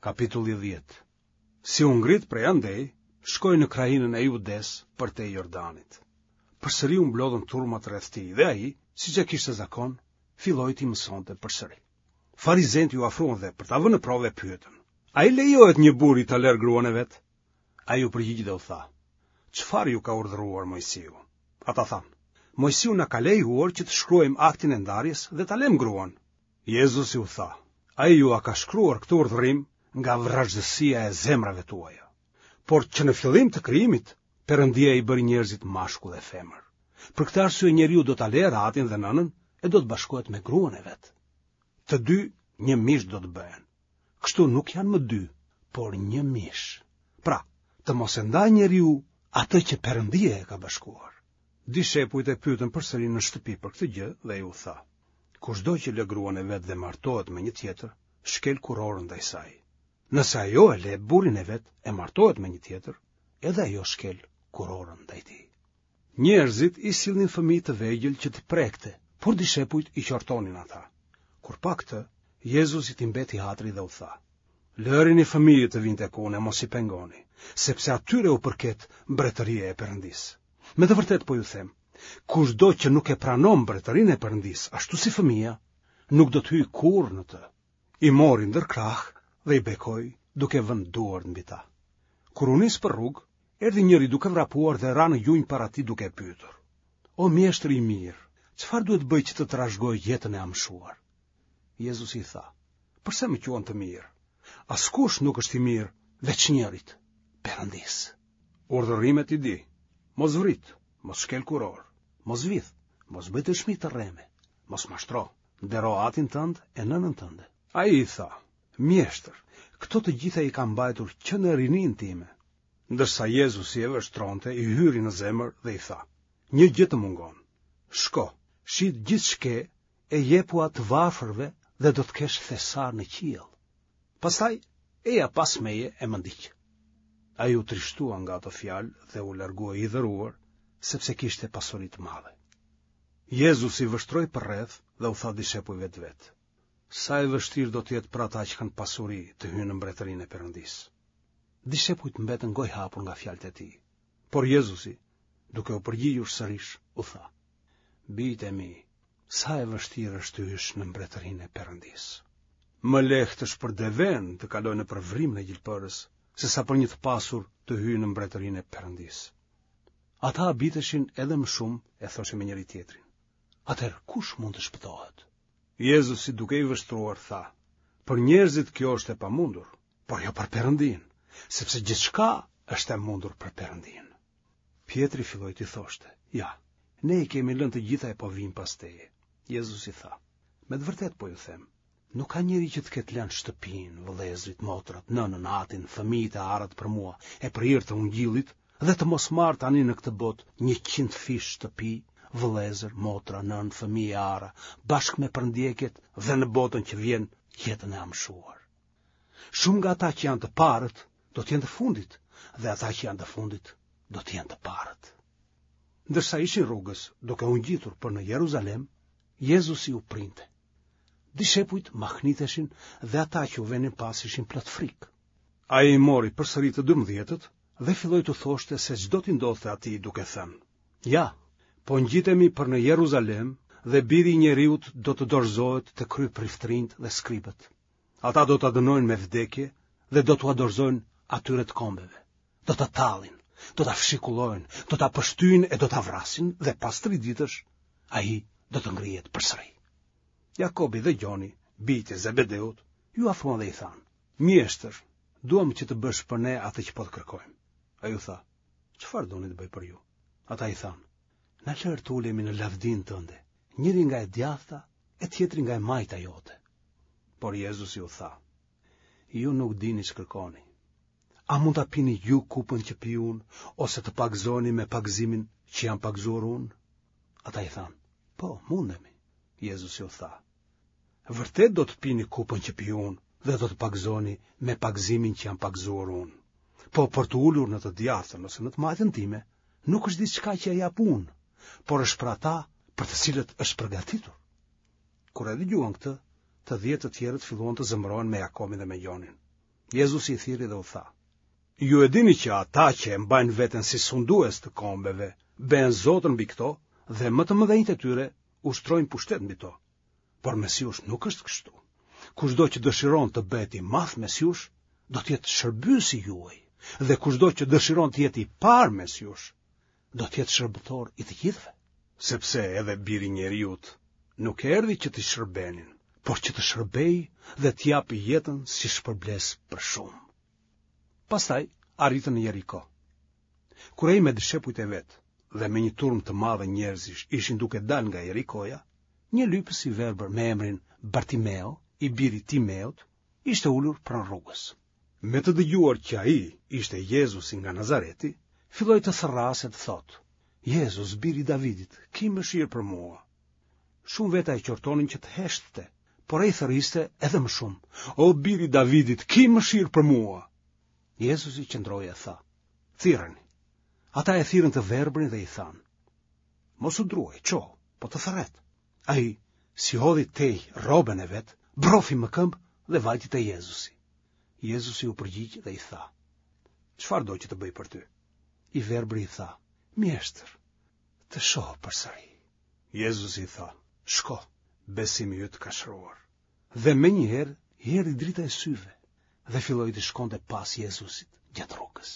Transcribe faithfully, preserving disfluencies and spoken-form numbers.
Kapitulli dhjetë. Si u ngrit prej andej, shkoi në krahinën e Judesë përtej Jordanit. Përsëri u mblodhën turmat rreth tij dhe ai, siç e kishte zakon, filloi t'i mësonte përsëri. Farizenjtë iu afruan dhe për ta vënë në provë e pyetën: A i lejohet një burri ta lërë gruan e vet? Ai u përgjigj dhe u tha: Çfarë ju ka urdhëruar Moisiu? Ata thanë: Moisiu na ka lejuar që të shkruajmë aktin e ndarjes dhe ta lëmë gruan. Jezusi u tha: Ai jua ka shkruar këtë urdhërim nga vrazhdësia e zemrave tuaja. Por që në fillim të krijimit, Perëndia i bëri njerëzit mashkull e femër. Për këtë arsye njeriu do ta lërë atin dhe nënën e do të bashkohet me gruan e vet. Të dy një mish do të bëhen. Kështu nuk janë më dy, por një mish. Pra, të mos e ndajë njeriu atë që Perëndia e ka bashkuar. Dishepujt e pyetën përsëri në shtëpi për këtë gjë dhe ai u tha: Kushdo që lë gruan e vet dhe martohet me një tjetër, shkel kurorën ndaj saj. Nëse ajo e lë burrin e vet e martohet me një tjetër, edhe ajo shkel kurorën ndaj tij. Njerëzit i sillnin fëmijë të vegjël që t'i prekte, por dishepujt i qortonin ata. Kur pa këtë, Jezusit i mbeti hatri dhe u tha: Lërini fëmijët të vijnë tek unë e mos i pengoni, sepse atyre u përket mbretëria e Perëndisë. Me të vërtetë po ju them, kushdo që nuk e pranon mbretërinë e Perëndisë, ashtu si fëmija, nuk do të hyjë kurrë në të. I mori ndër krahë dhe i bekoi, duke vënë duart mbi ta. Kur u nis për rrugë, erdhi njëri duke vrapuar dhe ra në gjunjë para tij duke e pyetur: O mjeshtër i mirë, çfarë duhet të bëj që të trashëgoj jetën e amshuar? Jezusi i tha: Përse më quan të mirë? Askush nuk është i mirë veç njërit, Perëndisë. Urdhërimet i di: Mos vrit, mos shkel kurorë, mos vidh, mos bëj dëshmi të rreme, mos mashtro, ndero atin tënd e nënën tënde. Ai i tha: Mjeshtër, këto të gjitha i kam mbajtur që në rininë time. Ndërsa Jezusi e vështronte, i hyri në zemër dhe i tha: Një gjë të mungon. Shko, shit gjithç'ke e jepua të varfërve dhe do të kesh thesar në qiell. Pastaj eja pas meje e më ndiq. Ai u trishtua nga ato fjalë dhe u largua i hidhëruar, sepse kishte pasuri të madhe. Jezusi vështroi përreth dhe u tha dishepujve të vet: Sa e vështirë do të jetë për ata që kanë pasuri të hyjnë në mbretërinë e Perëndisë. Dishepujt mbetën gojëhapur nga fjalët e tij. Por Jezusi, duke u përgjigjur sërish, u tha: Bijtë e mi, sa e vështirë është të hysh në mbretërinë e Perëndisë. Më lehtë është për devenë të kalojë nëpër vrimën e gjilpërës, sesa për një të pasur të hyjë në mbretërinë e Perëndisë. Ata habiteshin edhe më shumë e thoshin me njëri-tjetrin: Atëherë kush mund të shpëtohet? Jezusi duke i vështruar tha: Për njerëzit kjo është e pamundur, por jo për Perëndinë, sepse gjithçka është e mundur për Perëndinë. Pjetri filloi t'i thoshte: Ja, ne i kemi lënë të gjitha e po vijmë pas teje. Jezusi tha: Me të vërtetë po ju them, nuk ka njeri që të ketë lënë shtëpinë, vëllezërit, motrat, nënën, atin, fëmijët e arat për mua e për hir të ungjillit dhe të mos marrë tani në këtë botë njëqindfish shtëpi, vëllezër, motra, nënë, fëmijë e ara, bashkë me përndjekjet dhe në botën që vjen jetën e amshuar. Shumë nga ata që janë të parët do të jenë të fundit dhe ata që janë të fundit do të jenë të parët. Ndërsa ishin rrugës, duke u ngjitur për në Jeruzalem, Jezusi u printe. Dishepujt mahniteshin dhe ata që u venin pas ishin plot frikë. Ai i mori përsëri të dymbëdhjetët dhe filloi t'u thoshte se ç'do t'i ndodhte atij duke thënë: Ja, po ngjitemi për në Jeruzalem dhe biri i njeriut do të dorëzohet te kryepriftërinjtë dhe skribët. Ata do ta dënojnë me vdekje dhe do t'ua dorëzojnë atyre të kombeve. Do ta tallin, do ta fshikullojnë, do ta pështyjnë e do ta vrasin dhe pas tri ditësh ai do të ngrihet përsëri. Jakobi dhe Gjoni, bijtë e Zebedeut, iu afruan dhe i thanë: Mjeshtër, duam që të bësh për ne atë që po të kërkojmë. Ai u tha: Çfarë doni të bëj për ju? Ata i thanë: Na lër të ulemi në lavdinë tënde, njëri nga e djathta e tjetri nga e majta jote. Por Jezusi u tha: Ju nuk dini ç'kërkoni. A mund ta pini ju kupën që pi unë, ose të pagëzoheni me pagëzimin që jam pagëzuar unë? Ata i thanë: Po, mundemi. Jezusi u tha: Vërtet do të pini kupën që pi unë dhe do të pagëzoheni me pagëzimin që jam pagëzuar unë. Po për t'u ulur në të djathtën ose në të majtën time, nuk është diçka që e jap unë, por është për ata për të cilët është përgatitur. Kur e dëgjuan këtë, të dhjetë të tjerët filluan të zemërohen me Jakobin dhe me Gjonin. Jezusi i thirri dhe u tha: Ju e dini që ata që e mbajnë veten si sundues të kombeve, bëhen zotër mbi këto dhe më të mëdhenjtë e tyre ushtrojnë pushtet mbi to. Por mes jush nuk është kështu. Kushdo që dëshiron të bëhet i madh mes jush, do të jetë shërbyesi juaj, dhe kushdo që dëshiron të jetë i parë mes jush, do të jetë shërbëtor i të gjithëve. Sepse edhe biri i njeriut nuk erdhi që t'i shërbenin, por që të shërbejë dhe të japë jetën si shpërblesë për shumë. Pastaj arritën në Jeriko. Kur ai me dishepujt e vet dhe me një turmë të madhe njerëzish ishin duke dalë nga Jerikoja, një lypës i verbër me emrin Bartimeo, i biri Timeut, ishte ulur pranë rrugës. Me të dëgjuar që ai ishte Jezusi nga Nazareti, filloi të thërrasë e të thotë: Jezus, biri i Davidit, ki mëshirë për mua. Shumë veta e qortonin që të heshtte, por ai thërriste edhe më shumë: O biri i Davidit, ki mëshirë për mua. Jezusi qëndroi e tha: Thirreni. Ata e thirrën të verbrin dhe i thanë: Mos u druaj, çohu, po të thërret. Ai, si hodhi tej rrobën e vet, brofi më këmbë dhe vajti te Jezusi. Jezusi u përgjigj dhe i tha: Çfarë do që të bëj për ty? I verbri i tha: Mjeshtër, të shoh përsëri. Jezusi i tha: Shko, besimi yt të ka shëruar. Dhe menjëherë i erdhi drita e syve dhe filloi të shkonte pas Jezusit gjatë rrugës.